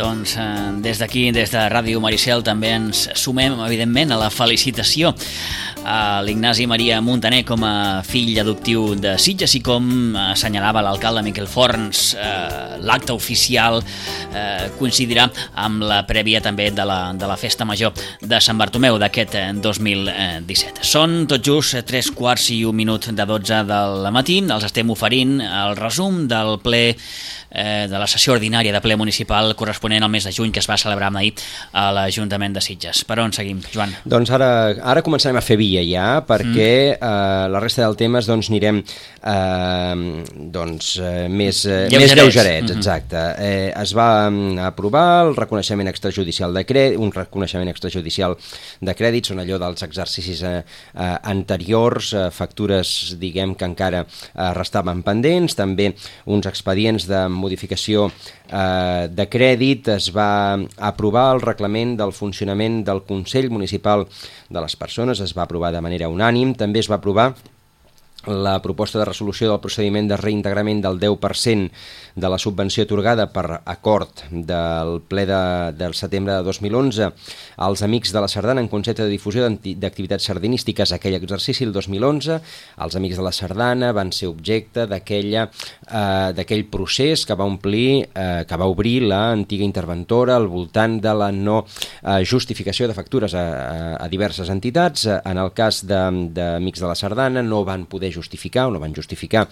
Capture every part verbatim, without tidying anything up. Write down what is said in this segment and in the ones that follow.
Doncs eh, des d'aquí, des de Ràdio Maricel, també ens sumem, evidentment, a la felicitació a l'Ignasi Maria Muntaner com a fill adoptiu de Sitges i com assenyalava l'alcalde Miquel Forns, eh, l'acte oficial eh, coincidirà amb la prèvia també de la, de la Festa Major de Sant Bartomeu d'aquest dos mil disset. Són tot just tres quarts i un minut de dotze del matí. Els estem oferint el resum del ple eh, de la sessió ordinària de ple municipal corresponent al mes de juny que es va celebrar ahir a l'Ajuntament de Sitges. Per on seguim, Joan? Doncs ara, ara començarem a fer via ja, perquè mm. eh, la resta del temes doncs anirem eh, doncs, eh, més, eh, més lleugerets. Mm-hmm. Exacte. Eh, es va aprovar el reconeixement extrajudicial de crèdit, un reconeixement extrajudicial de crèdit, són allò dels exercicis eh, eh, anteriors, eh, factures, diguem, que encara eh, restaven pendents, també uns expedients de modificació eh, de crèdit. Es va aprovar el reglament del funcionament del Consell Municipal de les Persones, es va aprovar de manera unànim. També es va aprovar la proposta de resolució del procediment de reintegrament del deu per cent de la subvenció atorgada per acord del ple de, del setembre de dos mil onze als Amics de la Sardana en concepte de difusió d'activitats sardanístiques aquell exercici, el dos mil onze. Els Amics de la Sardana van ser objecte d'aquella eh, d'aquell procés que va omplir, eh, que va obrir l'antiga interventora al voltant de la no eh, justificació de factures a, a, a diverses entitats. En el cas d'Amics de, de la Sardana no van poder justificar o no van justificar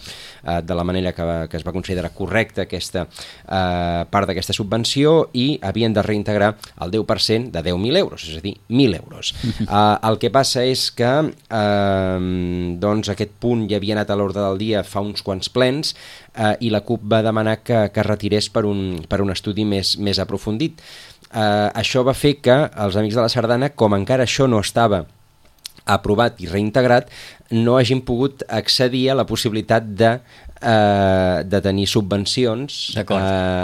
eh, de la manera que, que es va considerar correcta aquesta eh, part d'aquesta subvenció i havien de reintegrar el deu per cent de deu mil euros, és a dir, mil euros. Eh, el que passa és que eh, doncs aquest punt ja havia anat a l'ordre del dia fa uns quants plens eh, i la CUP va demanar que, que retirés per un, per un estudi més, més aprofundit. Eh, això va fer que els Amics de la Sardana, com encara això no estava aprovat i reintegrat, no hagin pogut accedir a la possibilitat de, eh, de tenir subvencions eh,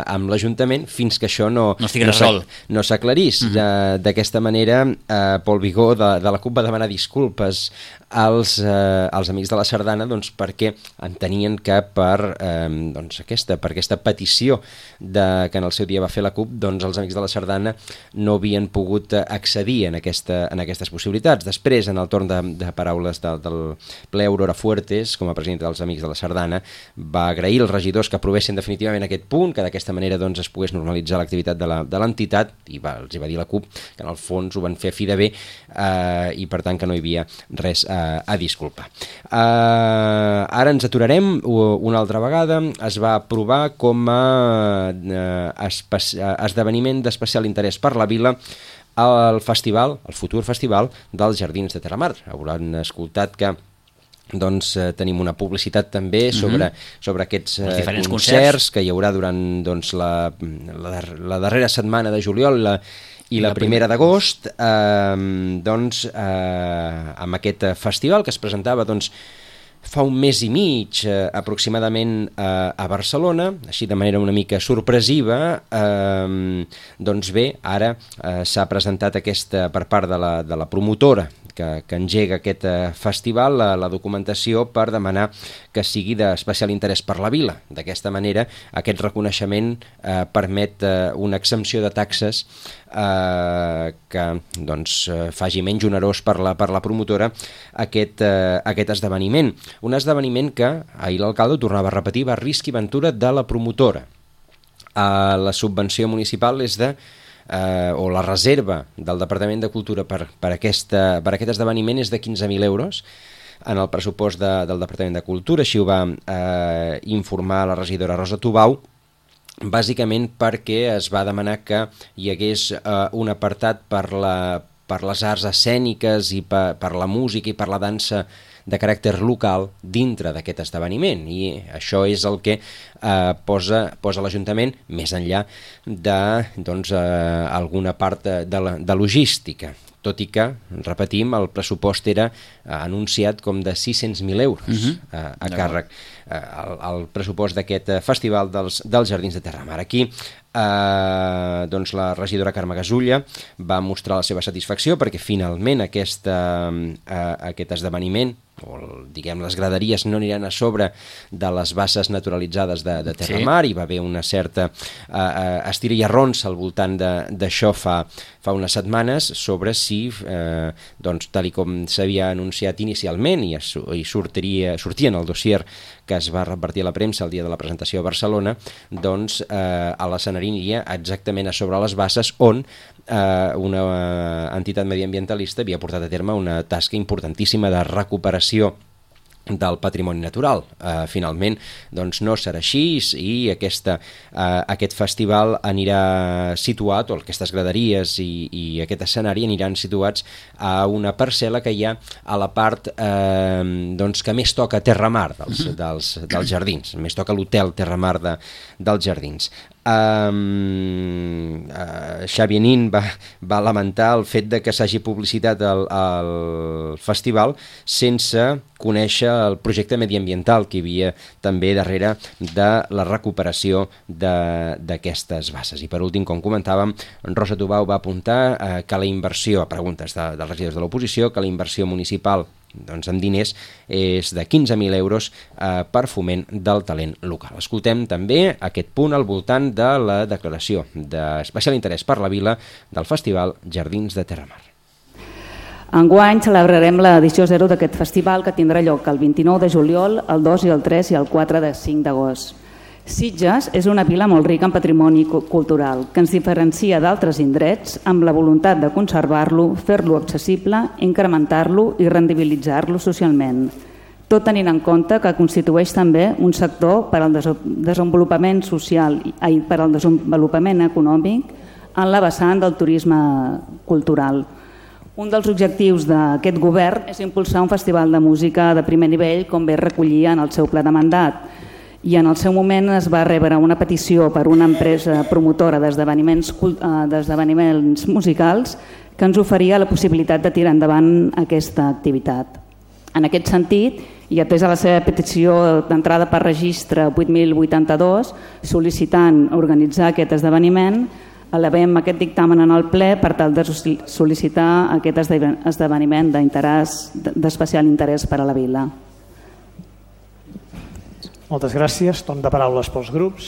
amb l'Ajuntament fins que això no, no estigui resolt. No s'aclarís. Mm-hmm. D'aquesta manera, eh, Pol Vigó de, de la CUP va demanar disculpes als, eh, als Amics de la Sardana doncs, perquè entenien que per, eh, doncs, aquesta, per aquesta petició de, que en el seu dia va fer la CUP, doncs, els Amics de la Sardana no havien pogut accedir en, aquesta, en aquestes possibilitats. Després, en el torn de, de paraules de, del ple, Aurora Fuertes, com a presidenta dels Amics de la Sardana, va agrair als regidors que aprovessin definitivament aquest punt, que d'aquesta manera doncs, es pogués normalitzar l'activitat de l'entitat, i va, els hi va dir la CUP que en el fons ho van fer a fi de bé eh, i per tant que no hi havia res a, a disculpar. Eh, ara ens aturarem una altra vegada. Es va aprovar com a eh, esdeveniment d'especial interès per la vila el festival, el futur festival dels Jardins de Terramar. Hauran escoltat que doncs eh, tenim una publicitat també sobre, mm-hmm. sobre aquests eh, concerts, concerts que hi haurà durant doncs, la, la, la darrera setmana de juliol la, i la, la primera d'agost, eh, doncs, eh, amb aquest festival que es presentava doncs, fa un mes i mig eh, aproximadament eh, a Barcelona, així de manera una mica sorpresiva. Eh, doncs bé, ara eh, s'ha presentat aquesta per part de la, de la promotora que, que engega aquest eh, festival, la, la documentació per demanar que sigui d'especial interès per la vila. D'aquesta manera, aquest reconeixement eh, permet eh, una exempció de taxes eh, que doncs, eh, faci menys onerós per la, per la promotora aquest, eh, aquest esdeveniment. Un esdeveniment que, ahir l'alcalde ho tornava a repetir, va risc i ventura de la promotora. Eh, la subvenció municipal és de Eh, o la reserva del Departament de Cultura per, per, aquesta, per aquest esdeveniment és de quinze mil euros en el pressupost de, del Departament de Cultura. Així ho va eh, informar la regidora Rosa Tubau, bàsicament perquè es va demanar que hi hagués eh, un apartat per, la, per les arts escèniques i per, per la música i per la dansa de caràcter local dintre d'aquest esdeveniment, i això és el que eh, posa, posa l'Ajuntament més enllà de doncs, eh, alguna part de, de, la, de logística, tot i que, repetim, el pressupost era eh, anunciat com de sis-cents mil euros uh-huh. eh, a càrrec eh, el, el pressupost d'aquest festival dels, dels Jardins de Terramar. Aquí eh, doncs la regidora Carme Gasulla va mostrar la seva satisfacció perquè finalment aquesta, eh, aquest esdeveniment o diguem, les graderies no aniran a sobre de les basses naturalitzades de, de Terramar, sí. Hi va haver una certa uh, uh, estira i arronsa al voltant d'això fa, fa unes setmanes sobre si, eh, doncs, tal com s'havia anunciat inicialment i, es, i sortiria, sortia en el dossier que es va repartir a la premsa el dia de la presentació a Barcelona, doncs eh, a l'escenari aniria exactament a sobre les basses on eh, una entitat mediambientalista havia portat a terme una tasca importantíssima de recuperació del patrimoni natural. Uh, finalment, doncs no serà així i aquesta, uh, aquest festival anirà situat, o aquestes graderies i, i aquest escenari aniran situats a una parcel·la que hi ha a la part uh, doncs, que més toca Terramar dels, dels, dels jardins, més toca l'hotel Terramar de, dels jardins. Um, uh, Xavi Nin va, va lamentar el fet de que s'hagi publicitat el, el festival sense conèixer el projecte mediambiental que hi havia també darrere de la recuperació d'aquestes basses. I per últim, com comentàvem, Rosa Tubau va apuntar uh, que la inversió, a preguntes de, dels regidors de l'oposició, que la inversió municipal doncs en diners és de quinze mil euros eh, per foment del talent local. Escoltem també aquest punt al voltant de la declaració d'especial interès per la vila del Festival Jardins de Terramar. Enguany celebrarem l'edició zero d'aquest festival que tindrà lloc el vint-i-nou de juliol, el dos i el tres i el quatre de cinc d'agost. Sitges és una vila molt rica en patrimoni cultural que ens diferencia d'altres indrets amb la voluntat de conservar-lo, fer-lo accessible, incrementar-lo i rendibilitzar-lo socialment. Tot tenint en compte que constitueix també un sector per al desenvolupament social i per al desenvolupament econòmic en la vessant del turisme cultural. Un dels objectius d'aquest govern és impulsar un festival de música de primer nivell, com bé recollia en el seu pla de mandat, i en el seu moment es va rebre una petició per una empresa promotora d'esdeveniments d'esdeveniments musicals que ens oferia la possibilitat de tirar endavant aquesta activitat. En aquest sentit, i atès a la seva petició d'entrada per registre vuit mil vuitanta-dos, sol·licitant organitzar aquest esdeveniment, elevem aquest dictamen en el ple per tal de sol·licitar aquest esdeveniment d'especial interès per a la vila. Moltes gràcies. Torn de paraules pels grups.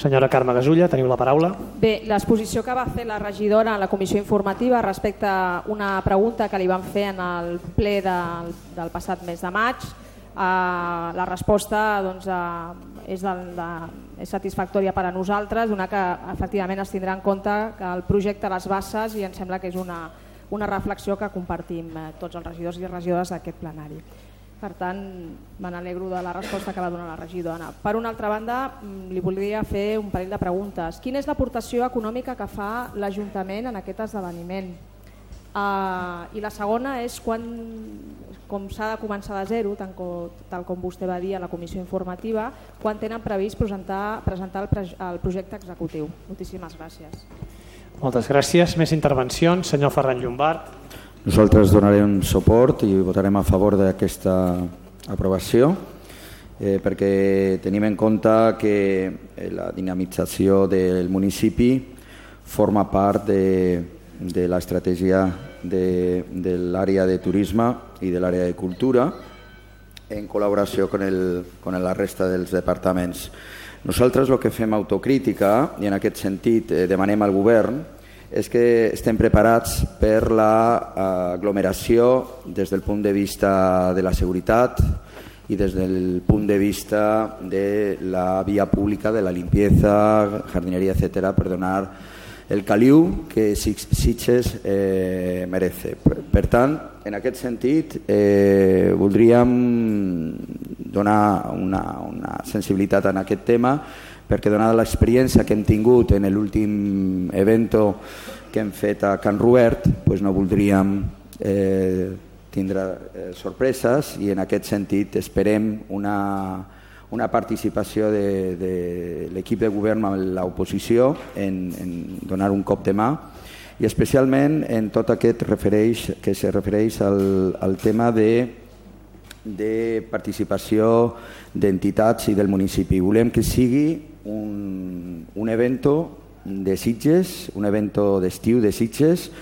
Senyora Carme Gasulla, teniu la paraula. Bé, l'exposició que va fer la regidora en la comissió informativa respecte a una pregunta que li van fer en el ple del, del passat mes de maig, eh, la resposta doncs, eh, és, del, de, és satisfactòria per a nosaltres, una que efectivament es tindrà en compte que el projecte Les Basses, i em sembla que és una, una reflexió que compartim eh, tots els regidors i regidores d'aquest plenari. Per tant, me n'alegro de la resposta que va donar la regidora. Per una altra banda, li voldria fer un parell de preguntes. Quina és l'aportació econòmica que fa l'Ajuntament en aquest esdeveniment? Uh, I la segona és quan, com s'ha de començar de zero, tal com, tal com vostè va dir a la comissió informativa, quan tenen previst presentar, presentar el, pre, el projecte executiu. Moltíssimes gràcies. Moltes gràcies. Més intervencions. Senyor Ferran Llombart. Nosaltres donarem suport i votarem a favor d'aquesta aprovació eh, perquè tenim en compte que la dinamització del municipi forma part de, de l'estratègia de, de l'àrea de turisme i de l'àrea de cultura en col·laboració amb, el, amb la resta dels departaments. Nosaltres el que fem autocrítica i en aquest sentit eh, demanem al govern és que estem preparats per l'aglomeració des del punt de vista de la seguretat i des del punt de vista de la via pública, de la limpieza, jardineria, etcètera, per donar el caliu que Sitges eh, merece. Per, per tant, en aquest sentit, eh, voldríem donar una, una sensibilitat en aquest tema perquè donada l'experiència que hem tingut en l'últim evento que hem fet a Can Ruert, doncs no voldríem eh, tindre eh, sorpreses i en aquest sentit esperem una, una participació de, de l'equip de govern amb l'oposició en, en donar un cop de mà i especialment en tot aquest refereix, que se refereix al, al tema de, de participació d'entitats i del municipi. Volem que sigui un, un evento de Sitges, un evento d'estiu de Sitges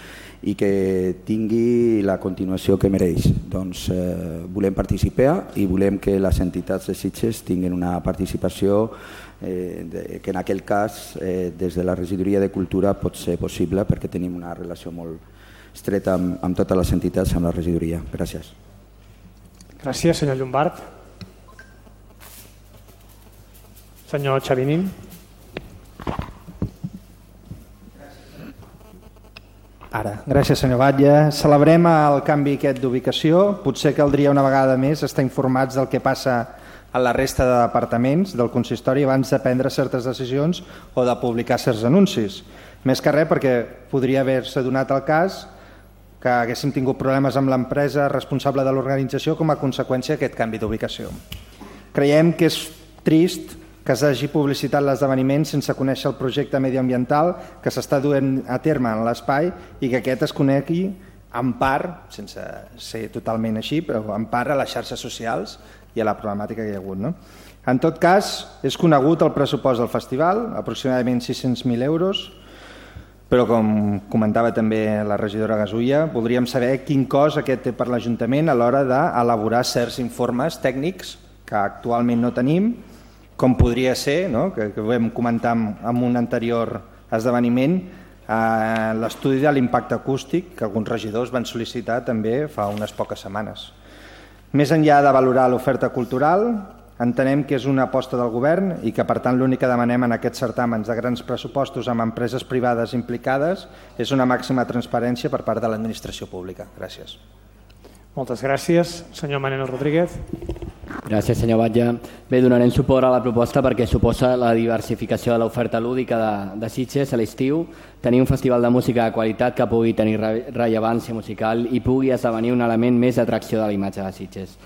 i que tingui la continuació que mereix. Doncs eh, volem participar i volem que les entitats de Sitges tinguin una participació eh, de, que en aquell cas eh, des de la regidoria de cultura pot ser possible perquè tenim una relació molt estreta amb, amb totes les entitats, amb la regidoria. Gràcies. Gràcies, senyor Llombard. Senyor Xavinín. Ara, gràcies senyor Batlle. Celebrem el canvi aquest d'ubicació. Potser caldria una vegada més estar informats del que passa a la resta de departaments del consistori abans de prendre certes decisions o de publicar certs anuncis. Més que res perquè podria haver-se donat el cas que haguéssim tingut problemes amb l'empresa responsable de l'organització com a conseqüència d'aquest canvi d'ubicació. Creiem que és trist que s'hagi publicitat l'esdeveniment sense conèixer el projecte mediambiental que s'està duent a terme en l'espai i que aquest es conegui en part, sense ser totalment així, però en part a les xarxes socials i a la problemàtica que hi ha hagut. No? En tot cas, és conegut el pressupost del festival, aproximadament sis-cents mil euros, però com comentava també la regidora Gasulla, voldríem saber quin cost aquest té per l'Ajuntament a l'hora d'elaborar certs informes tècnics que actualment no tenim, com podria ser, no? que, que vam comentar en un anterior esdeveniment, eh, l'estudi de l'impacte acústic que alguns regidors van sol·licitar també fa unes poques setmanes. Més enllà de valorar l'oferta cultural, entenem que és una aposta del govern i que per tant l'únic que demanem en aquests certàmens de grans pressupostos amb empreses privades implicades és una màxima transparència per part de l'administració pública. Gràcies. Moltes gràcies. Senyor Manel Rodríguez. Gràcies, senyor Batlle. Bé, donarem suport a la proposta perquè suposa la diversificació de l'oferta lúdica de, de Sitges a l'estiu, tenir un festival de música de qualitat que pugui tenir re rellevància musical i pugui esdevenir un element més d'atracció de la imatge de Sitges.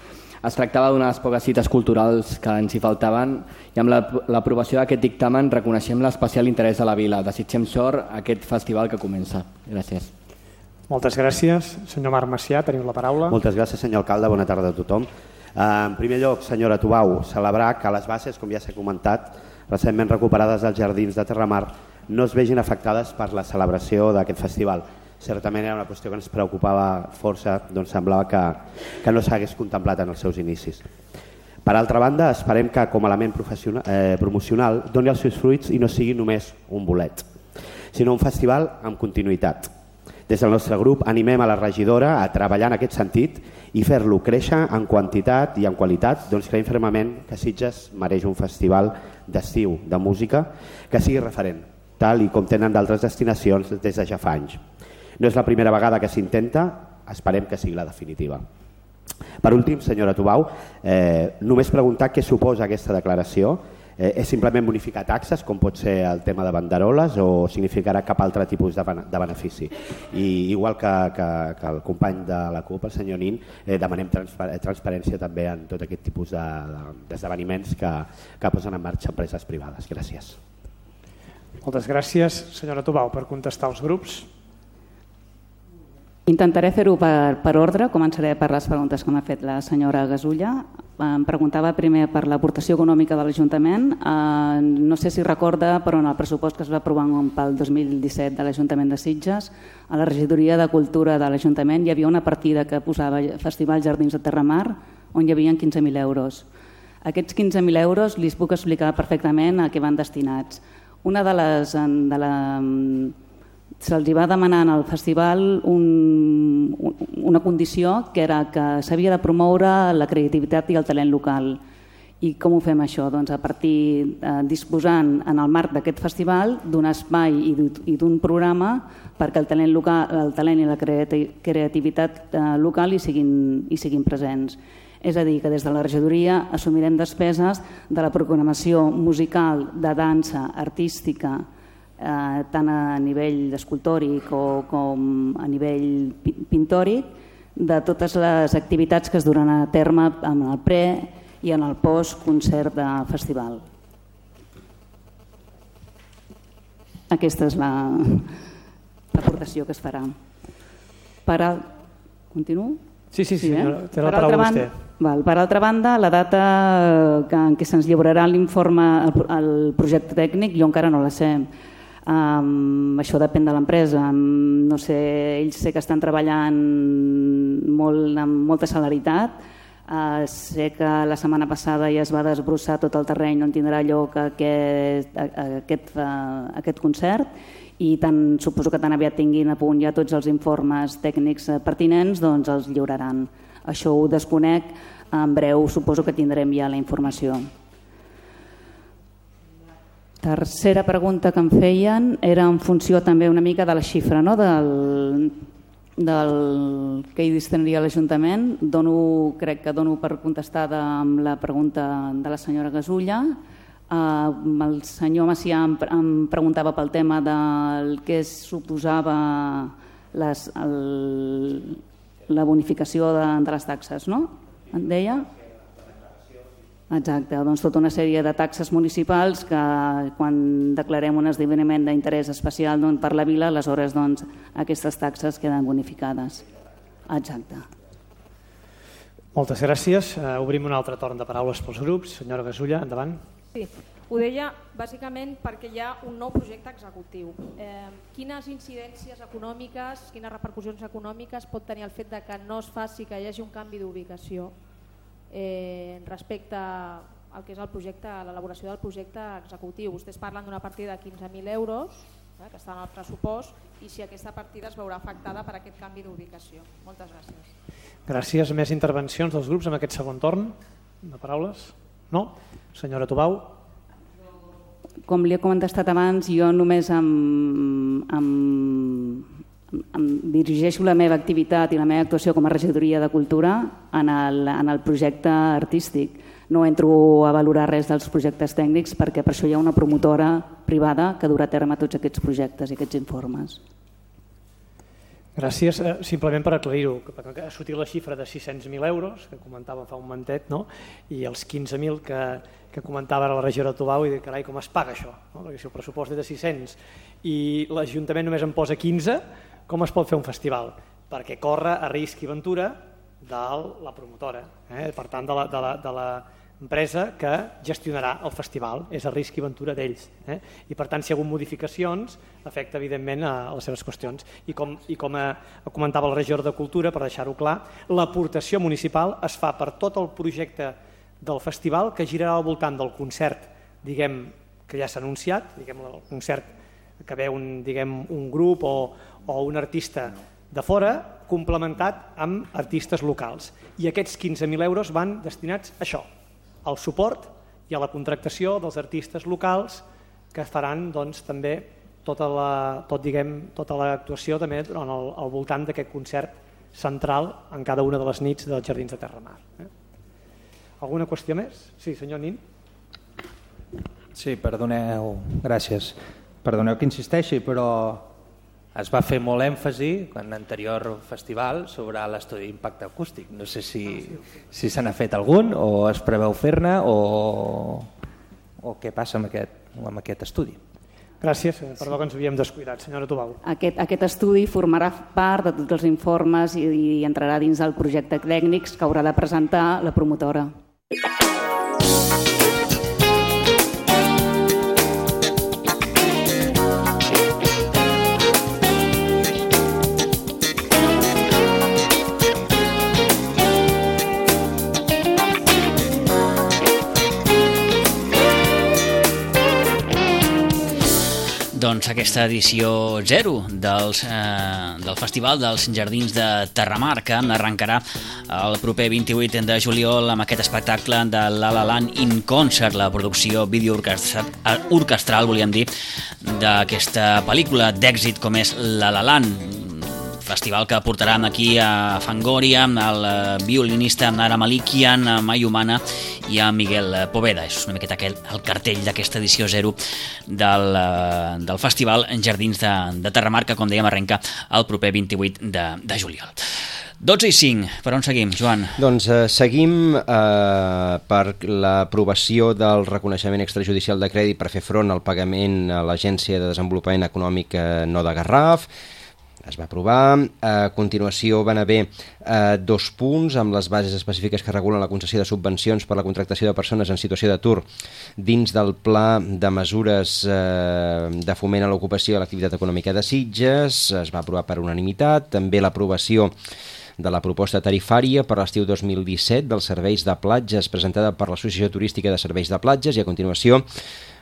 Es tractava d'una de les poques cites culturals que ens hi faltaven i amb l'aprovació d'aquest dictamen reconeixem l'especial interès de la vila. Desitgem sort a aquest festival que comença. Gràcies. Moltes gràcies. Senyor Marc Macià, teniu la paraula. Moltes gràcies, senyor alcalde. Bona tarda a tothom. En primer lloc, senyora Tubau, celebrar que les bases, com ja s'ha comentat, recentment recuperades dels jardins de Terramar, no es vegin afectades per la celebració d'aquest festival. Certament era una qüestió que ens preocupava força, doncs semblava que, que no s'hagués contemplat en els seus inicis. Per altra banda, esperem que com a element eh, promocional doni els seus fruits i no sigui només un bolet, sinó un festival amb continuïtat. Des del nostre grup animem a la regidora a treballar en aquest sentit i fer-lo créixer en quantitat i en qualitat, doncs creiem fermament que Sitges mereix un festival d'estiu de música que sigui referent, tal i com tenen d'altres destinacions des de ja fa anys. No és la primera vegada que s'intenta, esperem que sigui la definitiva. Per últim, senyora Tubau, eh, només preguntar què suposa aquesta declaració. Eh, és simplement bonificar taxes, com pot ser el tema de banderoles, o significarà cap altre tipus de, de benefici? I igual que, que, que el company de la CUP, el senyor Nin, eh, demanem transpa transparència també en tot aquest tipus d'esdeveniments de, de, que, que posen en marxa empreses privades. Gràcies. Moltes gràcies. Senyora Tubau, per contestar als grups. Intentaré fer-ho per, per ordre. Començaré per les preguntes que m'ha fet la senyora Gasulla. Em preguntava primer per l'aportació econòmica de l'Ajuntament. Eh, no sé si recorda, però en el pressupost que es va aprovar pel dos mil disset de l'Ajuntament de Sitges, a la regidoria de Cultura de l'Ajuntament hi havia una partida que posava Festival Jardins de Terramar, on hi havia quinze mil euros. Aquests quinze mil euros li puc explicar perfectament a què van destinats. Una de les... De la, se'ls va demanar al festival un, una condició que era que s'havia de promoure la creativitat i el talent local. I com ho fem això? Doncs a partir eh, disposant en el marc d'aquest festival d'un espai i d'un programa perquè el talent, local, el talent i la creativitat eh, local hi siguin, hi siguin presents. És a dir, que des de la regidoria assumirem despeses de la programació musical, de dansa, artística, Eh, tant a nivell escultòric o com a nivell pintòric, de totes les activitats que es duran a terme en el pre i en el post-concert de festival. Aquesta és l'aportació que es farà. Per al... Continuo? Sí, sí, sí, eh? té la paraula vostè. Val. Per altra banda, la data que, en què se'ns lliurarà l'informe, el, el projecte tècnic, jo encara no la sé. Um, això depèn de l'empresa. Um, no sé, ells sé que estan treballant molt, amb molta celeritat. Uh, sé que la setmana passada ja es va desbrossar tot el terreny on tindrà lloc aquest, aquest, uh, aquest concert, i tant, suposo que tan aviat tinguin a punt ja tots els informes tècnics pertinents, doncs els lliuraran. Això ho desconec, en breu suposo que tindrem ja la informació. Tercera pregunta que em feien era en funció també una mica de la xifra, no? del, del que hi destinaria l'Ajuntament. Dono, crec que dono per contestada amb la pregunta de la senyora Gasulla. Uh, el senyor Macià em, em preguntava pel tema del que suposava les, el, la bonificació de, de les taxes, no? En deia? Exacte, doncs tota una sèrie de taxes municipals que quan declarem un esdeveniment d'interès especial doncs, per la vila, aleshores doncs, aquestes taxes queden bonificades. Exacte. Moltes gràcies. Uh, obrim un altre torn de paraules pels grups. Senyora Gasulla, endavant. Sí, ho deia bàsicament perquè hi ha un nou projecte executiu. Eh, quines incidències econòmiques, quines repercussions econòmiques pot tenir el fet de que no es faci que hi hagi un canvi d'ubicació eh, respecte al que és el projecte, l'elaboració del projecte executiu? Vostès parlen d'una partida de quinze mil euros eh, que està en el pressupost, i si aquesta partida es veurà afectada per aquest canvi d'ubicació. Moltes gràcies. Gràcies. Més intervencions dels grups en aquest segon torn de paraules? No? Senyora Tubau. Com li he contestat abans, jo només em, em, em dirigeixo la meva activitat i la meva actuació com a regidoria de cultura en el, en el projecte artístic. No entro a valorar res dels projectes tècnics perquè per això hi ha una promotora privada que durà a terme tots aquests projectes i aquests informes. Gràcies. Eh, simplement per aclarir-ho, que ha sortit la xifra de sis-cents mil euros, que comentava fa un momentet, no? I els quinze mil que, que comentava la regidora Tubau, i dic, carai, com es paga això? No? Perquè si el pressupost és de sis-cents i l'Ajuntament només en posa quinze, com es pot fer un festival? Perquè corre a risc i ventura de la promotora, eh? Per tant, de la, de la, de la empresa que gestionarà el festival, és a risc i ventura d'ells, eh? I per tant, si hi ha hagut modificacions, afecta evidentment a les seves qüestions. I com, i com a, comentava el regidor de Cultura, per deixar-ho clar, l'aportació municipal es fa per tot el projecte del festival, que girarà al voltant del concert, diguem, que ja s'ha anunciat, diguem, el concert que ve un, diguem, un grup o, o un artista de fora, complementat amb artistes locals. I aquests quinze mil euros van destinats a això, al suport i a la contractació dels artistes locals que faran doncs, també tota la, tot, diguem, tota l'actuació també al, al voltant d'aquest concert central en cada una de les nits dels Jardins de Terramar. Eh? Alguna qüestió més? Sí, senyor Nin. Sí, perdoneu, gràcies. Perdoneu que insisteixi, però es va fer molt èmfasi en l'anterior festival sobre l'estudi d'impacte acústic. No sé si, si se n'ha fet algun o es preveu fer-ne o, o què passa amb aquest, amb aquest estudi. Gràcies, perdó que ens havíem descuidat. Senyora Tubau. Aquest, aquest estudi formarà part de tots els informes i, i entrarà dins del projecte tècnics que haurà de presentar la promotora. Doncs aquesta edició zero dels, eh, del Festival dels Jardins de Terramar, que arrencarà el proper vint-i-vuit de juliol amb aquest espectacle de La La Land in Concert, la producció videoorquestral, orquestral, volíem dir, d'aquesta pel·lícula d'èxit com és La La Land. Festival que portarà aquí a Fangoria, el violinista Nara Malikian, a Mayumana i a Miguel Poveda. És una miqueta aquell, el cartell d'aquesta edició zero del, del Festival Jardins de, de Terramar, que com dèiem arrenca el proper vint-i-vuit de, de juliol. dotze i cinc, per on seguim, Joan? Doncs eh, seguim eh, per l'aprovació del reconeixement extrajudicial de crèdit per fer front al pagament a l'Agència de Desenvolupament Econòmic eh, no de Garraf. es va aprovar. A continuació van haver eh, dos punts amb les bases específiques que regulen la concessió de subvencions per la contractació de persones en situació d'atur dins del pla de mesures eh, de foment a l'ocupació i a l'activitat econòmica de Sitges. Es va aprovar per unanimitat. També l'aprovació de la proposta tarifària per l'estiu dos mil disset dels serveis de platges presentada per l'Associació Turística de Serveis de Platges, i a continuació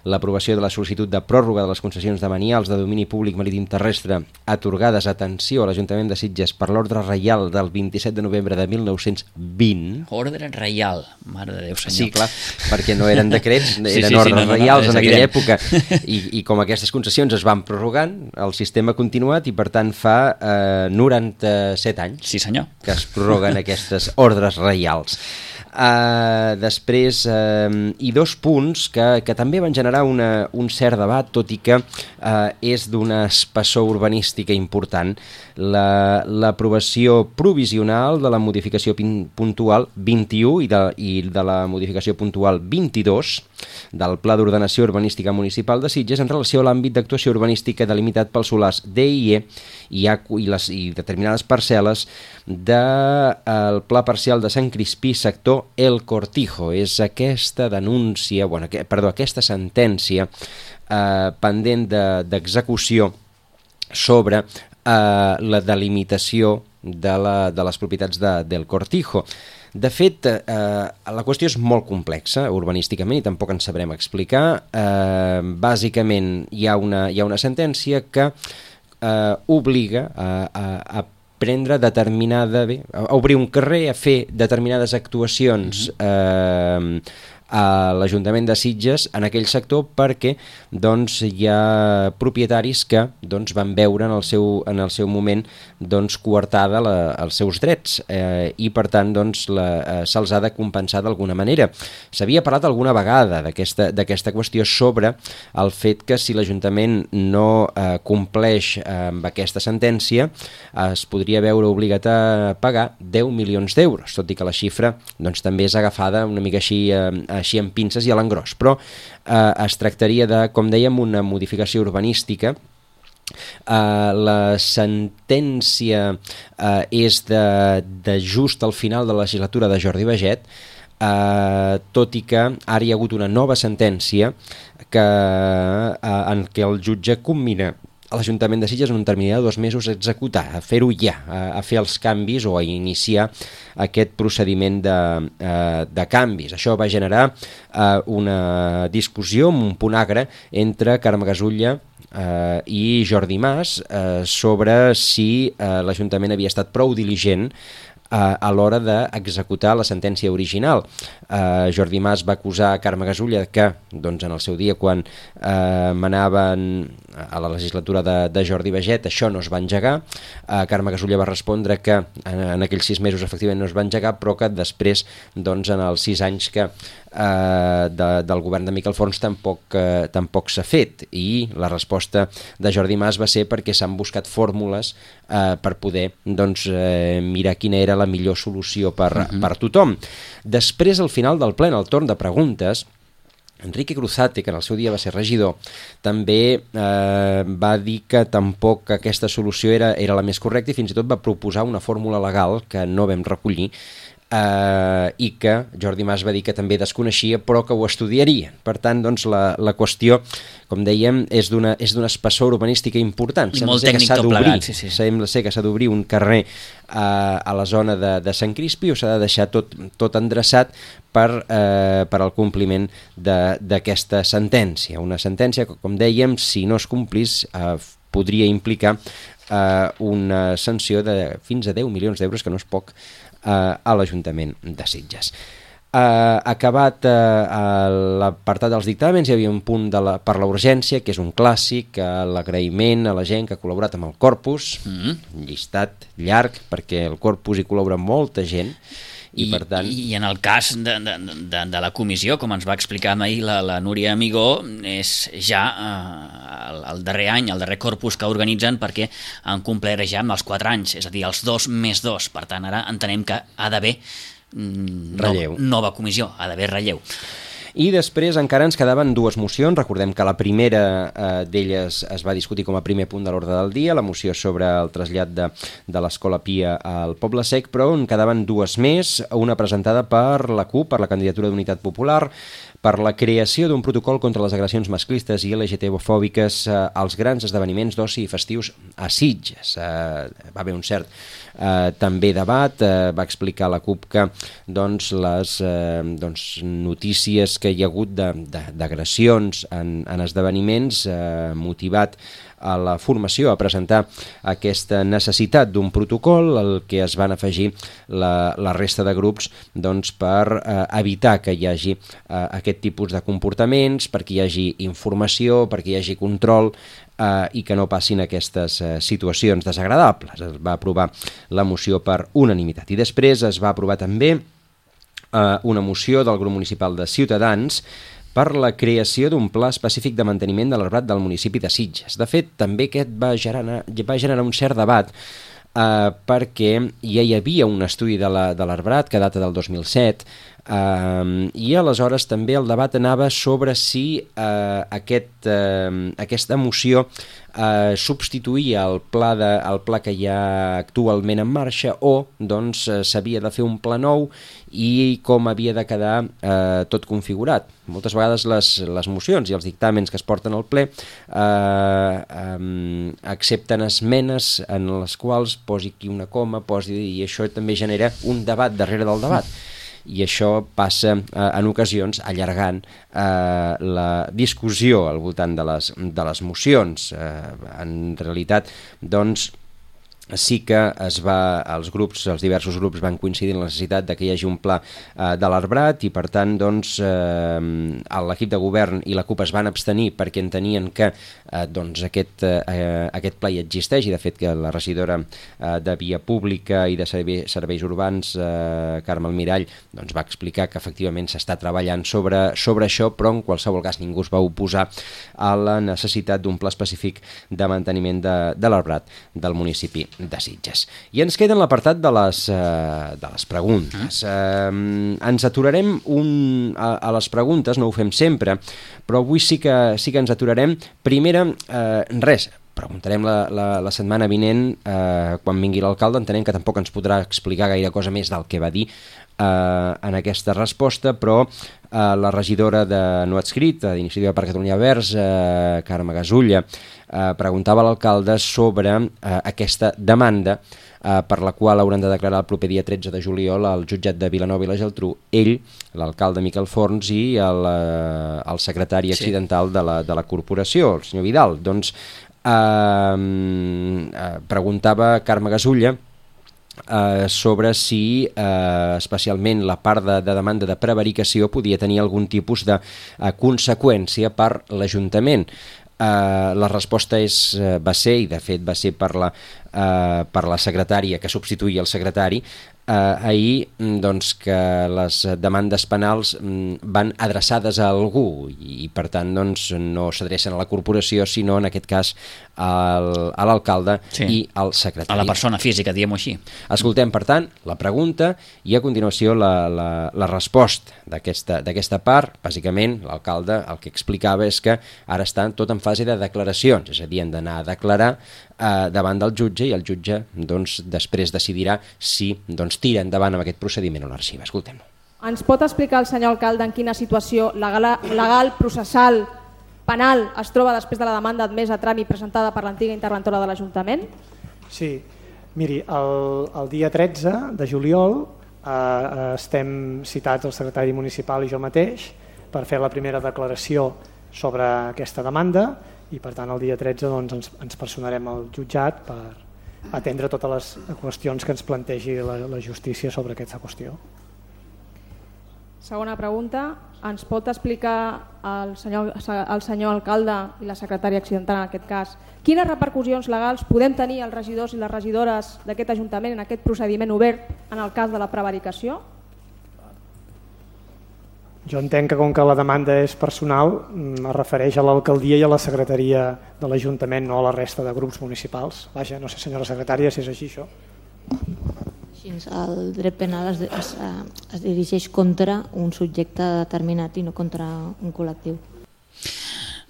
l'aprovació de la sol·licitud de pròrroga de les concessions de manials de domini públic marítim terrestre atorgades, atenció, a l'Ajuntament de Sitges per l'ordre reial del vint-i-set de novembre de mil nou-cents vint. Ordre reial, mare de Déu, senyor. Sí, clar, perquè no eren decrets, eren sí, sí, ordres sí, no, no, reials no, en evident. aquella època, I, i com aquestes concessions es van prorrogant, el sistema ha continuat i per tant fa eh, noranta-set anys sí, senyor. que es prorroguen aquestes ordres reials. Uh, després, uh, i dos punts que, que també van generar una, un cert debat, tot i que uh, és d'una espessor urbanística important. La, l'aprovació provisional de la modificació pin, puntual vint-i-u i de, i de la modificació puntual vint-i-dos del Pla d'Ordenació Urbanística Municipal de Sitges en relació a l'àmbit d'actuació urbanística delimitat pels solars D i E i, A, i, les, i determinades parcel·les del de, Pla Parcial de Sant Crispí, sector El Cortijo. És aquesta denúncia, bueno, que, perdó, aquesta sentència eh, pendent de, d'execució sobre eh, la delimitació de, la, de les propietats de, del Cortijo. De fet, eh, la qüestió és molt complexa urbanísticament i tampoc ens sabrem explicar. Eh, bàsicament hi ha una, hi ha una sentència que eh, obliga a, a, a prendre determinada, bé, a obrir un carrer, a fer determinades actuacions eh, a l'Ajuntament de Sitges en aquell sector perquè doncs, hi ha propietaris que doncs, van veure en el seu, en el seu moment doncs, coartada la, els seus drets eh, i per tant doncs, la, eh, se'ls ha de compensar d'alguna manera. S'havia parlat alguna vegada d'aquesta, d'aquesta qüestió sobre el fet que si l'Ajuntament no eh, compleix eh, amb aquesta sentència es podria veure obligat a pagar deu milions d'euros, tot i que la xifra doncs, també és agafada una mica així eh, així amb pinces i a l'engròs, però eh, es tractaria de, com dèiem, una modificació urbanística. Uh, la sentència uh, és de, de just al final de la legislatura de Jordi Baget, uh, tot i que ara hi ha hagut una nova sentència que, uh, en què el jutge commina a l'Ajuntament de Sitges en un termini de dos mesos a executar, a fer-ho ja, a, a fer els canvis o a iniciar aquest procediment de, uh, de canvis. Això va generar uh, una discussió, un punt agre entre Carme Gasulla Uh, i Jordi Mas uh, sobre si uh, l'Ajuntament havia estat prou diligent uh, a l'hora d'executar la sentència original. Uh, Jordi Mas va acusar Carme Gasulla que doncs, en el seu dia, quan uh, manaven a la legislatura de, de Jordi Baget, això no es va engegar. Uh, Carme Gasulla va respondre que en, en aquells sis mesos efectivament no es va engegar, però que després, doncs, en els sis anys que Uh, de, del govern de Miquel Forns tampoc, uh, tampoc s'ha fet, i la resposta de Jordi Mas va ser perquè s'han buscat fórmules uh, per poder doncs, uh, mirar quina era la millor solució per, uh-huh. per tothom. Després, al final del ple, en el torn de preguntes, Enrique Cruzate, que en el seu dia va ser regidor, també eh, va dir que tampoc aquesta solució era, era la més correcta i fins i tot va proposar una fórmula legal que no vam recollir, Uh, i que Jordi Mas va dir que també desconeixia però que ho estudiaria. Per tant, doncs, la, la qüestió, com dèiem, és d'una, és d'una espessor urbanística important. I Sembla molt ser tècnic que s'ha tot d'obrir, plegat, sí, sí. Sembla ser que s'ha d'obrir un carrer uh, a la zona de, de Sant Crispi o s'ha de deixar tot, tot endreçat per, uh, per al compliment de, d'aquesta sentència. Una sentència que, com dèiem, si no es complís, uh, podria implicar uh, una sanció de fins a deu milions d'euros, que no és poc, a l'Ajuntament de Sitges. Uh, acabat uh, l'apartat dels dictàmens, hi havia un punt de la, per la urgència, que és un clàssic, uh, l'agraïment a la gent que ha col·laborat amb el Corpus, mm. un llistat llarg, perquè el Corpus hi col·labora molta gent, i, I, per tant... I en el cas de, de, de, de la comissió, com ens va explicar ahir la, la Núria Amigó, és ja eh, el, el darrer any, el darrer corpus que organitzen, perquè han complert ja amb els quatre anys, és a dir, els dos més dos. Per tant, ara entenem que ha d'haver mm, relleu. No, nova comissió, ha d'haver relleu. I després encara ens quedaven dues mocions. Recordem que la primera eh, d'elles es va discutir com a primer punt de l'ordre del dia, la moció sobre el trasllat de, de l'Escola Pia al Poble Sec, però en quedaven dues més, una presentada per la CUP, per la candidatura d'Unitat Popular, per la creació d'un protocol contra les agressions masclistes i L G T B-fòbiques eh, als grans esdeveniments d'oci i festius a Sitges. Eh, va haver un cert eh, també debat, eh, va explicar la CUP que doncs, les eh, doncs, notícies que hi ha hagut d'agressions en, en esdeveniments eh, motivat a la formació a presentar aquesta necessitat d'un protocol, el que es van afegir la, la resta de grups doncs, per eh, evitar que hi hagi eh, aquest tipus de comportaments, perquè hi hagi informació, perquè hi hagi control eh, i que no passin aquestes eh, situacions desagradables. Es va aprovar la moció per unanimitat. I després es va aprovar també eh, una moció del grup municipal de Ciutadans per la creació d'un pla específic de manteniment de l'arbrat del municipi de Sitges. De fet, també aquest va generar, va generar un cert debat eh, perquè ja hi havia un estudi de l'arbrat que data del dos mil set eh, i aleshores també el debat anava sobre si eh, aquest, eh, aquesta moció eh, substituïa el pla, de, el pla que hi ha actualment en marxa o doncs s'havia de fer un pla nou i com havia de quedar eh, tot configurat. Moltes vegades les, les mocions i els dictàmens que es porten al ple eh, eh, accepten esmenes en les quals posi aquí una coma, posi, i això també genera un debat darrere del debat. I això passa eh, en ocasions allargant eh, la discussió al voltant de les, de les mocions. Eh, en realitat, doncs, sí que es va, els grups, els diversos grups van coincidir en la necessitat de que hi hagi un pla eh, de l'arbrat i per tant doncs eh, l'equip de govern i la CUP es van abstenir perquè entenien que eh, doncs aquest, eh, aquest pla hi existeix i de fet que la regidora eh, de Via Pública i de Serveis Urbans eh, Carme Almirall doncs va explicar que efectivament s'està treballant sobre, sobre això, però en qualsevol cas ningú es va oposar a la necessitat d'un pla específic de manteniment de, de l'arbrat del municipi de Sitges. I ens queda en l'apartat de, les, uh, de les preguntes. Uh, ens aturarem un, a, a les preguntes, no ho fem sempre, però avui sí que, sí que ens aturarem. Primera, uh, res, preguntarem la, la, la setmana vinent, uh, quan vingui l'alcalde, entenem que tampoc ens podrà explicar gaire cosa més del que va dir uh, en aquesta resposta, però uh, la regidora de no adscrit, d'Iniciativa per Catalunya Verds, uh, Carme Gasulla, Uh, preguntava a l'alcalde sobre uh, aquesta demanda uh, per la qual hauran de declarar el proper dia tretze de juliol al jutjat de Vilanova i la Geltrú ell, l'alcalde Miquel Forns i el, uh, el secretari accidental sí. de, la, de la corporació, el senyor Vidal. Doncs uh, uh, preguntava Carme Gasulla Uh, sobre si uh, especialment la part de, de demanda de prevaricació podia tenir algun tipus de uh, conseqüència per l'Ajuntament. Uh, la resposta és, uh, va ser, i de fet va ser per la, uh, per la secretària que substituïa el secretari, uh, ahir doncs, que les demandes penals um, van adreçades a algú i, i per tant doncs, no s'adrecen a la corporació sinó en aquest cas al, a l'alcalde sí. i al secretari. A la persona física, diguem-ho així. Escoltem per tant la pregunta i a continuació la, la, la resposta d'aquesta part. Bàsicament l'alcalde el que explicava és que ara estan tot en fase de declaracions, és a dir, han d'anar a declarar eh, davant del jutge i el jutge doncs, després decidirà si doncs, tira endavant amb aquest procediment o l'arxiva. Escoltem-lo. Ens pot explicar el senyor alcalde en quina situació legal, legal processal, penal es troba després de la demanda admesa a tràmit presentada per l'antiga interventora de l'Ajuntament? Sí, miri, el, el dia tretze de juliol eh, estem citats el secretari municipal i jo mateix per fer la primera declaració sobre aquesta demanda i per tant el dia tretze doncs, ens, ens personarem al jutjat per atendre totes les qüestions que ens plantegi la, la justícia sobre aquesta qüestió. Segona pregunta, ens pot explicar el senyor, el senyor alcalde i la secretària accidental en aquest cas quines repercussions legals podem tenir els regidors i les regidores d'aquest Ajuntament en aquest procediment obert en el cas de la prevaricació? Jo entenc que com que la demanda és personal es refereix a l'alcaldia i a la secretaria de l'Ajuntament, no a la resta de grups municipals. Vaja, no sé senyora secretària si és així això. El dret penal es, es, es dirigeix contra un subjecte determinat i no contra un col·lectiu.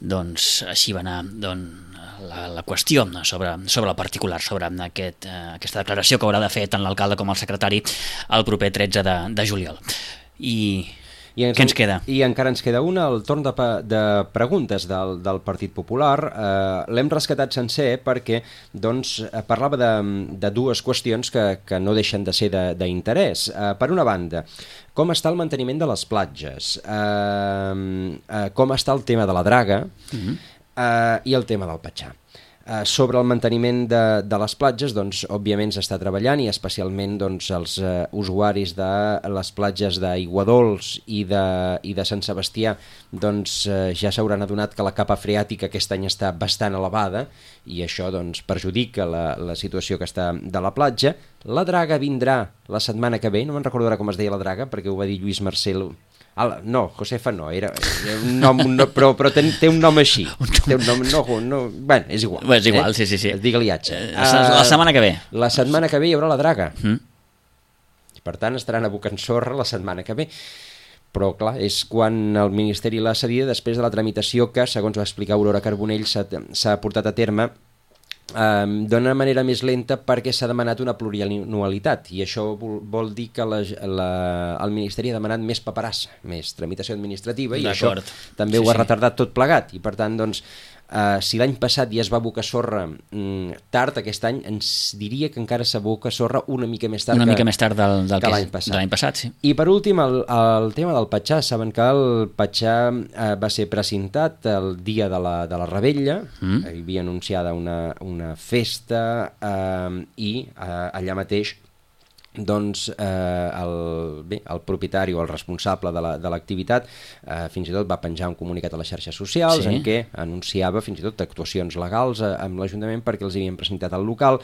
Doncs així va anar doncs, la, la qüestió sobre, sobre el particular, sobre aquest, eh, aquesta declaració que haurà de fer tant l'alcalde com el secretari el proper tretze de, de juliol. I... I ens, Què ens queda? I encara ens queda una, el torn de, de preguntes del, del Partit Popular. Eh, L'hem rescatat sencer perquè doncs, parlava de, de dues qüestions que, que no deixen de ser d'interès. Eh, per una banda, com està el manteniment de les platges? Eh, eh, com està el tema de la draga? Uh-huh. eh, i el tema del petxar. Uh, sobre el manteniment de, de les platges, doncs, òbviament s'està treballant i especialment doncs, els uh, usuaris de les platges d'Aiguadols i de, i de Sant Sebastià doncs, uh, ja s'hauran adonat que la capa freàtica aquest any està bastant elevada i això doncs, perjudica la, la situació que està de la platja. La draga vindrà la setmana que ve, no me'n recordarà com es deia la draga perquè ho va dir Lluís Marcel. Ah, no, Josefa no, era, era un nom, un nom però, però té, té un nom així. Té un nom, no, no, bueno, és igual. Bé, és igual, eh? sí, sí, sí. Digue-li atxa. Uh, la setmana que ve. La setmana que ve hi haurà la draga. Mm. Per tant, estaran abocant sorra la setmana que ve. Però, clar, és quan el Ministeri l'ha cedida després de la tramitació que, segons va explicar Aurora Carbonell, s'ha portat a terme Um, d'una manera més lenta perquè s'ha demanat una plurianualitat i això vol, vol dir que la, la, el Ministeri ha demanat més paperassa, més tramitació administrativa i això també sí, ho ha sí. retardat tot plegat i per tant doncs uh, si l'any passat ja es va abocar sorra um, tard, aquest any ens diria que encara s'aboca sorra una mica més tard una que, mica més tard del, del que que l'any passat. De l'any passat sí. I per últim el, el tema del petxar, saben que el petxar uh, va ser precintat el dia de la, de la Rebella, mm. hi havia anunciada una, una una festa eh, i eh, allà mateix doncs eh, el, bé, el propietari o el responsable de l'activitat la, eh, fins i tot va penjar un comunicat a les xarxes socials sí. en què anunciava fins i tot actuacions legals eh, amb l'Ajuntament perquè els havien presentat al local.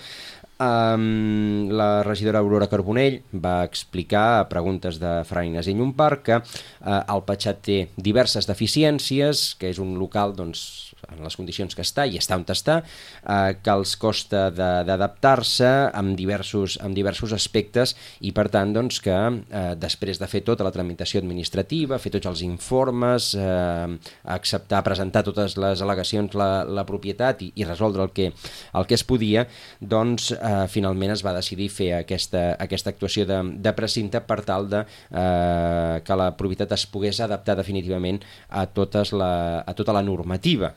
Um, la regidora Aurora Carbonell va explicar a preguntes de Fra Ignasi Llompart que uh, el Petxat té diverses deficiències, que és un local doncs, en les condicions que està i està on està, uh, que els costa d'adaptar-se amb diversos, amb diversos aspectes i per tant doncs, que uh, després de fer tota la tramitació administrativa, fer tots els informes, uh, acceptar, presentar totes les al·legacions la, la propietat i, i resoldre el que, el que es podia, doncs Uh, finalment es va decidir fer aquesta, aquesta actuació de, de precinte per tal de uh, que la propietat es pogués adaptar definitivament a, totes la, a tota la normativa,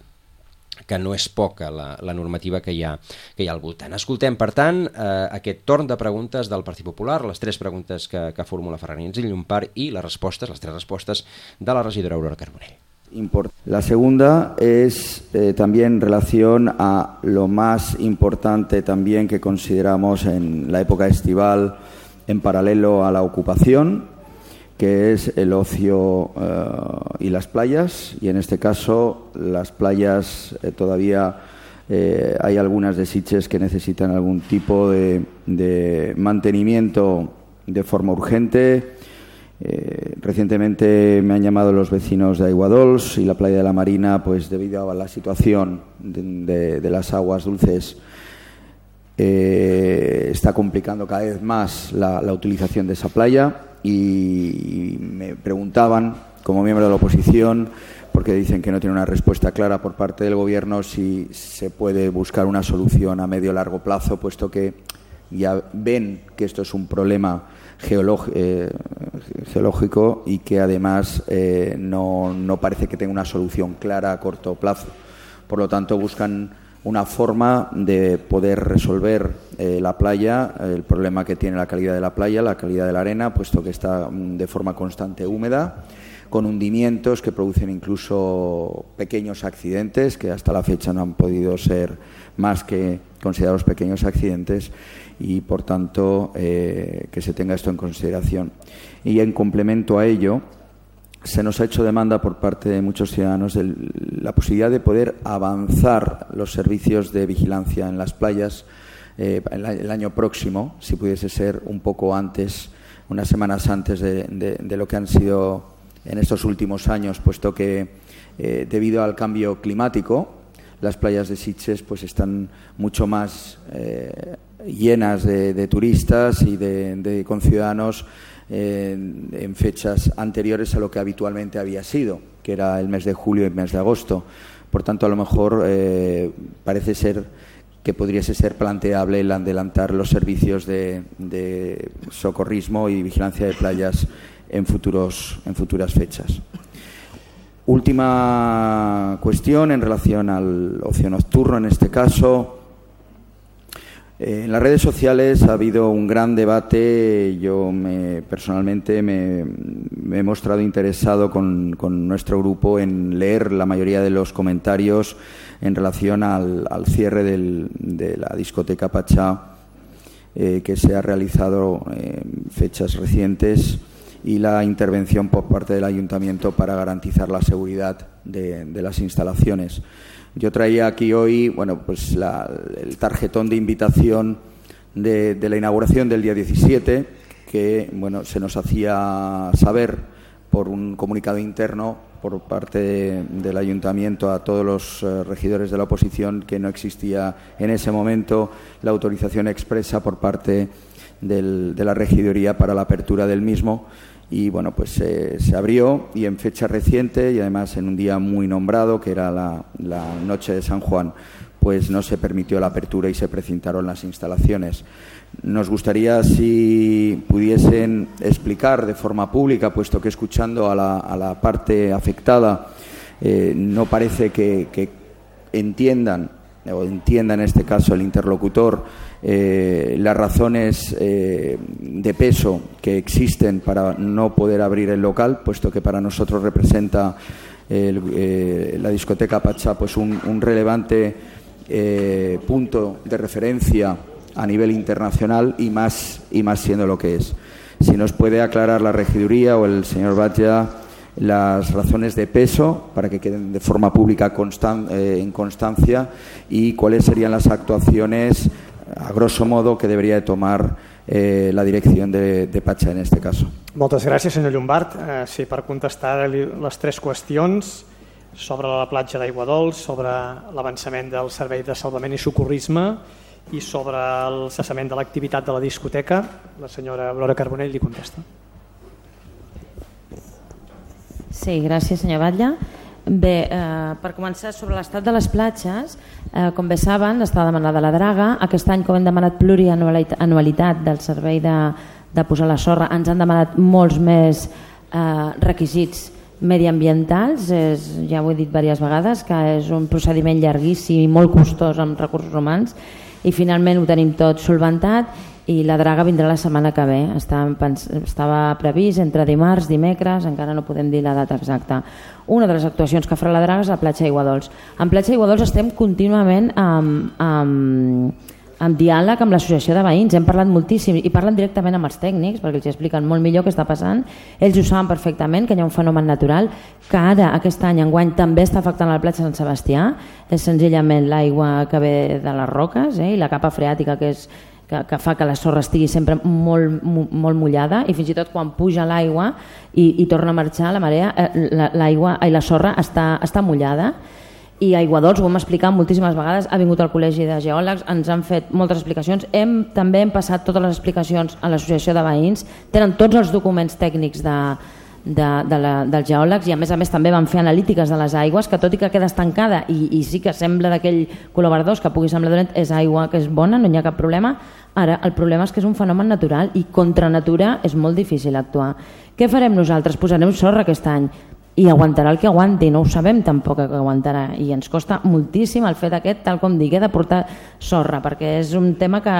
que no és poca la, la normativa que hi, ha, que hi ha al voltant. Escoltem, per tant, eh, aquest torn de preguntes del Partit Popular, les tres preguntes que, que formula Fra Ignasi Llompart i les respostes, les tres respostes de la regidora Aurora Carbonell. La segunda es eh, también en relación a lo más importante también que consideramos en la época estival en paralelo a la ocupación, que es el ocio eh, y las playas, y en este caso las playas eh, todavía eh, hay algunas de Sitges que necesitan algún tipo de, de mantenimiento de forma urgente. Eh, recientemente me han llamado los vecinos de Aiguadols y la playa de la Marina, pues debido a la situación de, de, de las aguas dulces eh, está complicando cada vez más la, la utilización de esa playa y me preguntaban, como miembro de la oposición, porque dicen que no tiene una respuesta clara por parte del Gobierno, si se puede buscar una solución a medio o largo plazo, puesto que ya ven que esto es un problema geológico, eh, geológico y que además eh, no, no parece que tenga una solución clara a corto plazo. Por lo tanto, buscan una forma de poder resolver eh, la playa, el problema que tiene la calidad de la playa, la calidad de la arena, puesto que está de forma constante húmeda, con hundimientos que producen incluso pequeños accidentes, que hasta la fecha no han podido ser más que considerados pequeños accidentes, y por tanto eh, que se tenga esto en consideración. Y en complemento a ello, se nos ha hecho demanda por parte de muchos ciudadanos de la posibilidad de poder avanzar los servicios de vigilancia en las playas eh, el, el año próximo, si pudiese ser un poco antes, unas semanas antes de, de, de lo que han sido en estos últimos años, puesto que eh, debido al cambio climático las playas de Sitges pues están mucho más eh, llenas de, de turistas y de, de conciudadanos eh, en fechas anteriores a lo que habitualmente había sido, que era el mes de julio y el mes de agosto. Por tanto, a lo mejor eh, parece ser que podría ser planteable el adelantar los servicios de, de socorrismo y vigilancia de playas en, futuros, en futuras fechas. Última cuestión en relación al ocio nocturno, en este caso. Eh, en las redes sociales ha habido un gran debate. Yo me, personalmente me, me he mostrado interesado con, con nuestro grupo en leer la mayoría de los comentarios en relación al, al cierre del, de la discoteca Pachá eh, que se ha realizado en fechas recientes y la intervención por parte del Ayuntamiento para garantizar la seguridad de, de las instalaciones. Yo traía aquí hoy, bueno, pues la, el tarjetón de invitación de, de la inauguración del día diecisiete, que bueno, se nos hacía saber por un comunicado interno por parte de, del Ayuntamiento a todos los eh, regidores de la oposición que no existía en ese momento la autorización expresa por parte del, de la regiduría para la apertura del mismo. Y bueno, pues eh, se abrió y en fecha reciente y además en un día muy nombrado, que era la, la noche de San Juan, pues no se permitió la apertura y se precintaron las instalaciones. Nos gustaría si pudiesen explicar de forma pública, puesto que escuchando a la, a la parte afectada eh, no parece que, que entiendan, o entienda en este caso el interlocutor, eh, las razones eh, de peso que existen para no poder abrir el local, puesto que para nosotros representa el, eh, la discoteca Pachá pues un, un relevante eh, punto de referencia a nivel internacional y más, y más siendo lo que es. Si nos puede aclarar la regiduría o el señor Batlle las razones de peso para que queden de forma pública constan, eh, en constancia y cuáles serían las actuaciones, a grosso modo, que debería de tomar eh, la dirección de, de Pachá en este caso. Moltes gràcies, senyor Llombart. Eh, sí, per contestar les tres qüestions sobre la platja d'Aiguadols, sobre l'avançament del servei de salvament i socorrisme i sobre el cessament de l'activitat de la discoteca, la senyora Aurora Carbonell li contesta. Sí, gràcies, senyor Batlle. Bé, eh, per començar, sobre l'estat de les platges, eh, com bé saben, està demanada la draga. Aquest any, com hem demanat plurianualitat del servei de, de posar la sorra, ens han demanat molts més eh, requisits mediambientals. És, ja ho he dit diverses vegades, que és un procediment llarguíssim i molt costós amb recursos humans, i finalment ho tenim tot solventat i la draga vindrà la setmana que ve. Estava previst entre dimarts, dimecres, encara no podem dir la data exacta. Una de les actuacions que farà la draga és a la platja d'Aiguadols. En platja d'Aiguadols estem contínuament amb, amb, amb diàleg amb l'associació de veïns, hem parlat moltíssim i parlen directament amb els tècnics perquè els expliquen molt millor què està passant. Ells ho saben perfectament, que hi ha un fenomen natural que ara, aquest any, enguany, també està afectant la platja Sant Sebastià. És senzillament l'aigua que ve de les roques eh, i la capa freàtica que és que, que fa que la sorra estigui sempre molt, molt mullada i fins i tot quan puja l'aigua i, i torna a marxar la marea, l'aigua i la sorra està, està mullada. I Aiguadols, ho hem explicat moltíssimes vegades, ha vingut al Col·legi de Geòlegs, ens han fet moltes explicacions, hem, també hem passat totes les explicacions a l'associació de veïns, tenen tots els documents tècnics de, de, de la, dels geòlegs i a més a més també van fer analítiques de les aigües, que tot i que queda estancada i, i sí que sembla d'aquell color verdós que pugui semblar dolent, és aigua que és bona, no hi ha cap problema. Ara el problema és que és un fenomen natural i contra natura és molt difícil actuar. Què farem nosaltres? Posarem sorra aquest any i aguantarà el que aguanti, no ho sabem tampoc que aguantarà i ens costa moltíssim el fet aquest, tal com digui, de portar sorra perquè és un tema que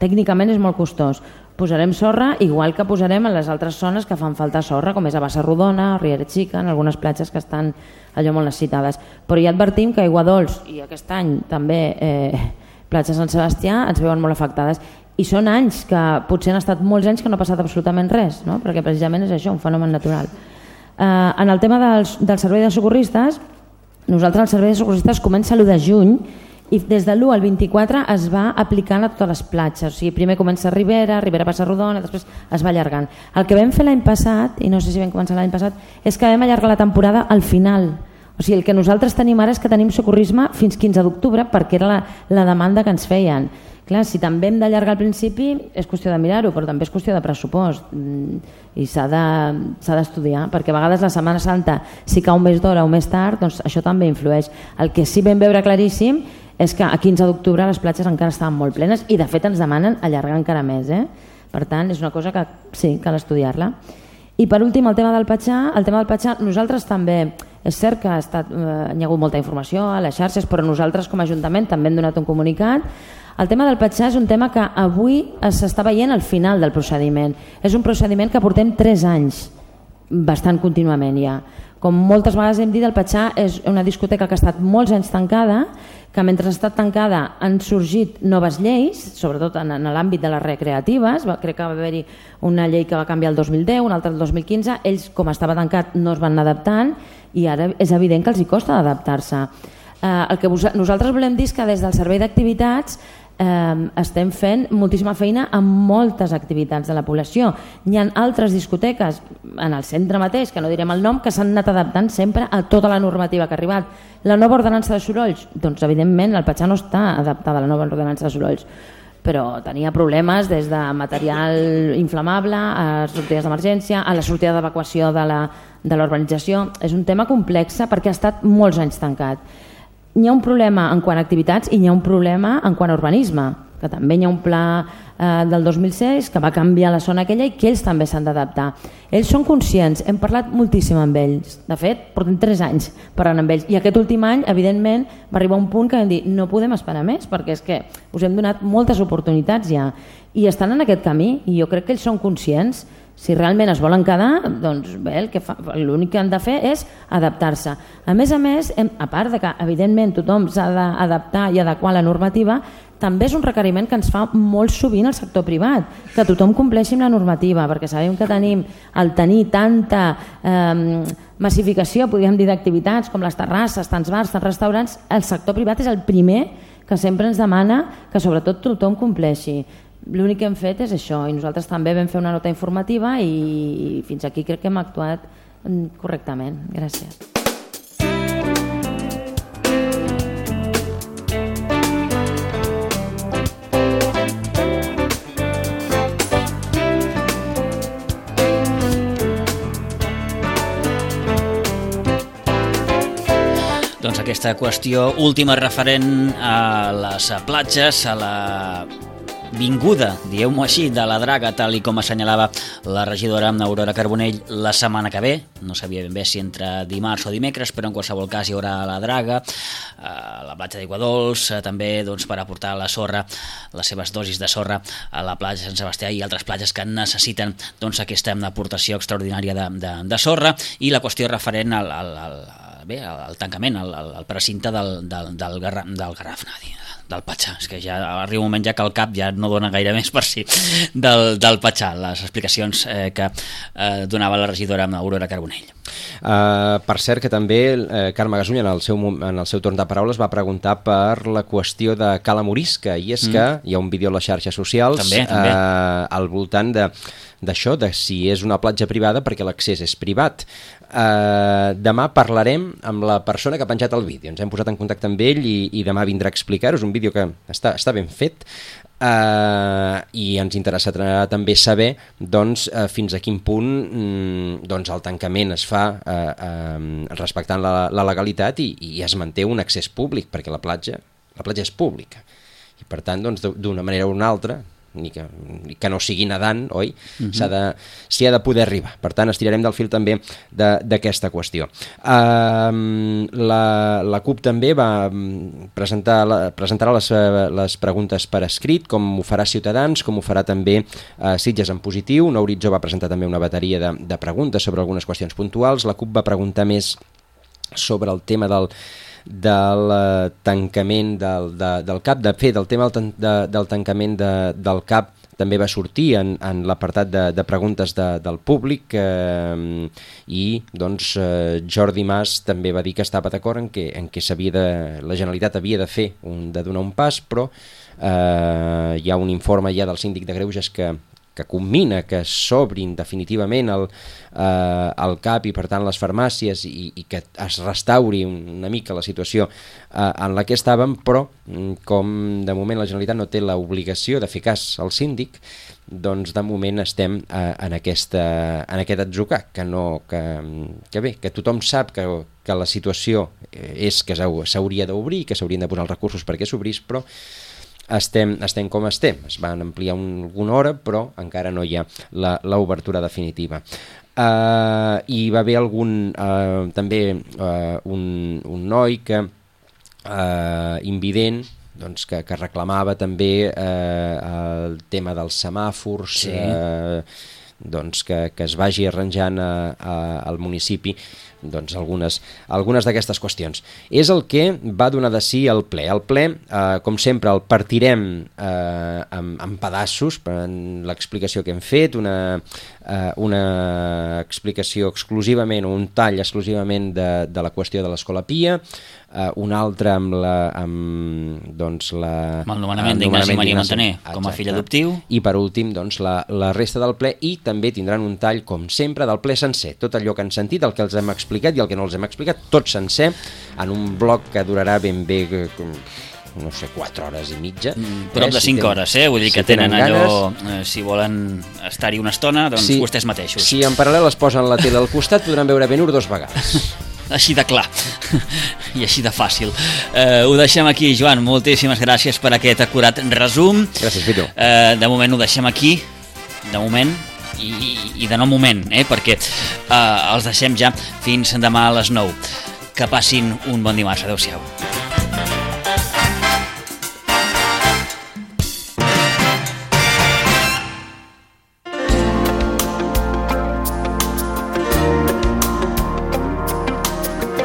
tècnicament és molt costós. Posarem sorra igual que posarem en les altres zones que fan falta sorra, com és a Bassa Rodona, Riera Xica, en algunes platges que estan allò molt necessitades. Però ja advertim que Aiguadols i aquest any també eh, platja Sant Sebastià ens veuen molt afectades i són anys que potser han estat molts anys que no ha passat absolutament res, no? Perquè precisament és això, un fenomen natural. Uh, en el tema del, del servei de socorristes, nosaltres el servei de socorristes comença l'u de juny i des de l'u al vint-i-quatre es va aplicant a totes les platges, o sigui, primer comença a Ribera, Ribera Bassa Rodona, després es va allargant. El que vam fer l'any passat, i no sé si vam començar l'any passat, és que vam allargar la temporada al final. O sigui, el que nosaltres tenim ara és que tenim socorrisme fins quinze d'octubre perquè era la, la demanda que ens feien. Clar, si també hem d'allargar al principi és qüestió de mirar-ho, però també és qüestió de pressupost i s'ha d'estudiar, perquè a vegades la Setmana Santa si cau més d'hora o més tard, doncs això també influeix. El que sí vam veure claríssim és que a quinze d'octubre les platges encara estaven molt plenes i de fet ens demanen allargar encara més, eh? Per tant és una cosa que sí, cal estudiar-la. I per últim el tema del Patxar, el tema del Patxar nosaltres també, és cert que ha, estat, eh, hi ha hagut molta informació a les xarxes, però nosaltres com a Ajuntament també hem donat un comunicat. El tema del Patxar és un tema que avui s'està veient al final del procediment. És un procediment que portem tres anys, bastant contínuament ja. Com moltes vegades hem dit, el Patxar és una discoteca que ha estat molts anys tancada, que mentre ha estat tancada han sorgit noves lleis, sobretot en, en l'àmbit de les recreatives. Va, crec que va haver-hi una llei que va canviar el dos mil deu, una altra el dos mil quinze. Ells, com estava tancat, no es van anar adaptant i ara és evident que els hi costa adaptar-se. Eh, el que vos, nosaltres volem dir és que des del Servei d'Activitats eh, estem fent moltíssima feina amb moltes activitats de la població. Hi ha altres discoteques en el centre mateix, que no direm el nom, que s'han anat adaptant sempre a tota la normativa que ha arribat. La nova ordenança de sorolls, doncs evidentment el Patxar no està adaptada a la nova ordenança de sorolls, però tenia problemes des de material inflamable a sortides d'emergència, a la sortida d'evacuació de la, de l'urbanització. És un tema complex perquè ha estat molts anys tancat. Hi ha un problema en quant a activitats i hi ha un problema en quant a urbanisme, que també hi ha un pla eh, del dos mil sis que va canviar la zona aquella i que ells també s'han d'adaptar. Ells són conscients, hem parlat moltíssim amb ells, de fet portem tres anys parlant amb ells i aquest últim any evidentment va arribar un punt que vam dir no podem esperar més perquè és que us hem donat moltes oportunitats ja i estan en aquest camí i jo crec que ells són conscients. Si realment es volen quedar, doncs bé, el que fa, l'únic que han de fer és adaptar-se. A més a més, hem, a part de que evidentment tothom s'ha d'adaptar i adequar la normativa, també és un requeriment que ens fa molt sovint el sector privat, que tothom compleixi amb la normativa, perquè sabem que tenim el tenir tanta eh, massificació, podríem dir, d'activitats com les terrasses, tants bars, tants restaurants, el sector privat és el primer que sempre ens demana que sobretot tothom compleixi. L'únic que hem fet és això i nosaltres també vam fer una nota informativa i fins aquí crec que hem actuat correctament. Gràcies. Doncs aquesta qüestió última referent a les platges, a la vinguda, dieu-m'ho així, de la Draga, tal i com assenyalava la regidora Aurora Carbonell la setmana que ve. No sabia ben bé si entre dimarts o dimecres, però en qualsevol cas hi haurà la Draga, a la platja d'Aigua Dols, també doncs, per aportar la sorra, les seves dosis de sorra a la platja de Sant Sebastià i altres platges que necessiten doncs, aquesta aportació extraordinària de, de, de sorra. I la qüestió referent al, al, al, bé, al tancament, al, al precinte del, del, del, Garraf, del Garraf, no, del Patxar. És que ja arriba un moment ja que el cap ja no dona gaire més per si del, del Patxar, les explicacions eh, que eh, donava la regidora Aurora Carbonell. Uh, per cert que també eh, Carme Gasull en el, seu, en el seu torn de paraules va preguntar per la qüestió de Cala Morisca i és mm. que hi ha un vídeo a les xarxes socials també, també. Uh, al voltant de d'això, de si és una platja privada perquè l'accés és privat. Uh, demà parlarem amb la persona que ha penjat el vídeo. Ens hem posat en contacte amb ell i, i demà vindrà a explicar-ho. Un vídeo que està, està ben fet uh, i ens interessarà també saber doncs, uh, fins a quin punt mm, doncs, el tancament es fa uh, uh, respectant la, la legalitat i, i es manté un accés públic perquè la platja, la platja és pública i per tant doncs, d'una manera o una altra ni que, ni que no sigui nedant, oi? Uh-huh. S'ha de, s'hi ha de poder arribar. Per tant, estirarem del fil també d'aquesta qüestió. Uh, la, la CUP també va presentar la, presentarà les, les preguntes per escrit, com ho farà Ciutadans, com ho farà també uh, Sitges en positiu. Nou Horitzó va presentar també una bateria de, de preguntes sobre algunes qüestions puntuals. La CUP va preguntar més sobre el tema del del uh, tancament del, de, del CAP. De fet, el tema del, de, del tancament de, del CAP també va sortir en, en l'apartat de, de preguntes de, del públic eh, i doncs, eh, Jordi Mas també va dir que estava d'acord en què, en què s'havia de, la Generalitat havia de fer un, de donar un pas, però eh, hi ha un informe ja del síndic de Greuges que que combina que s'obrin definitivament el, eh, el C A P i per tant les farmàcies i, i que es restauri una mica la situació eh, en la que estàvem, però com de moment la Generalitat no té l'obligació de fer cas al síndic, doncs de moment estem eh, en, aquesta, en aquest atzucac, que, no, que, que bé, que tothom sap que, que la situació és que s'hauria d'obrir, que s'haurien de posar els recursos perquè s'obrís, però estem, estem com estem. Es van ampliar un, alguna hora, però encara no hi ha l'obertura definitiva. Uh, hi va haver algun, uh, també uh, un, un noi que uh, invident, doncs que, que reclamava també eh, el tema dels semàfors, sí. eh, doncs que, que es vagi arranjant a, a, al municipi doncs algunes, algunes d'aquestes qüestions. És el que va donar de si el ple. El ple, eh, com sempre, el partirem eh, en, en pedaços, per l'explicació que hem fet, una, eh, una explicació exclusivament, o un tall exclusivament de, de la qüestió de l'Escola Pia, Uh, un altre amb la amb, doncs la amb el nomenament d'Ignasi Maria Montaner com a fill adoptiu, i per últim doncs la, la resta del ple, i també tindran un tall com sempre del ple sencer, tot allò que han sentit, el que els hem explicat i el que no els hem explicat, tot sencer en un bloc que durarà ben bé com, no sé, quatre hores i mitja. Mm, prop de si cinc tenen, hores, eh? Vull dir que si tenen, tenen allò, eh, si volen estar-hi una estona, doncs sí, vostès mateixos. Si en paral·lel es posen la tele al costat, podran veure Ben-Hur dos vegades. Així de clar i així de fàcil. Eh, ho deixem aquí, Joan. Moltíssimes gràcies per aquest acurat resum. Gràcies, Vito. Eh, de moment ho deixem aquí, de moment, i, i de no moment, eh, perquè eh, els deixem ja fins demà a les nou. Que passin un bon dimarts. Adéu-siau.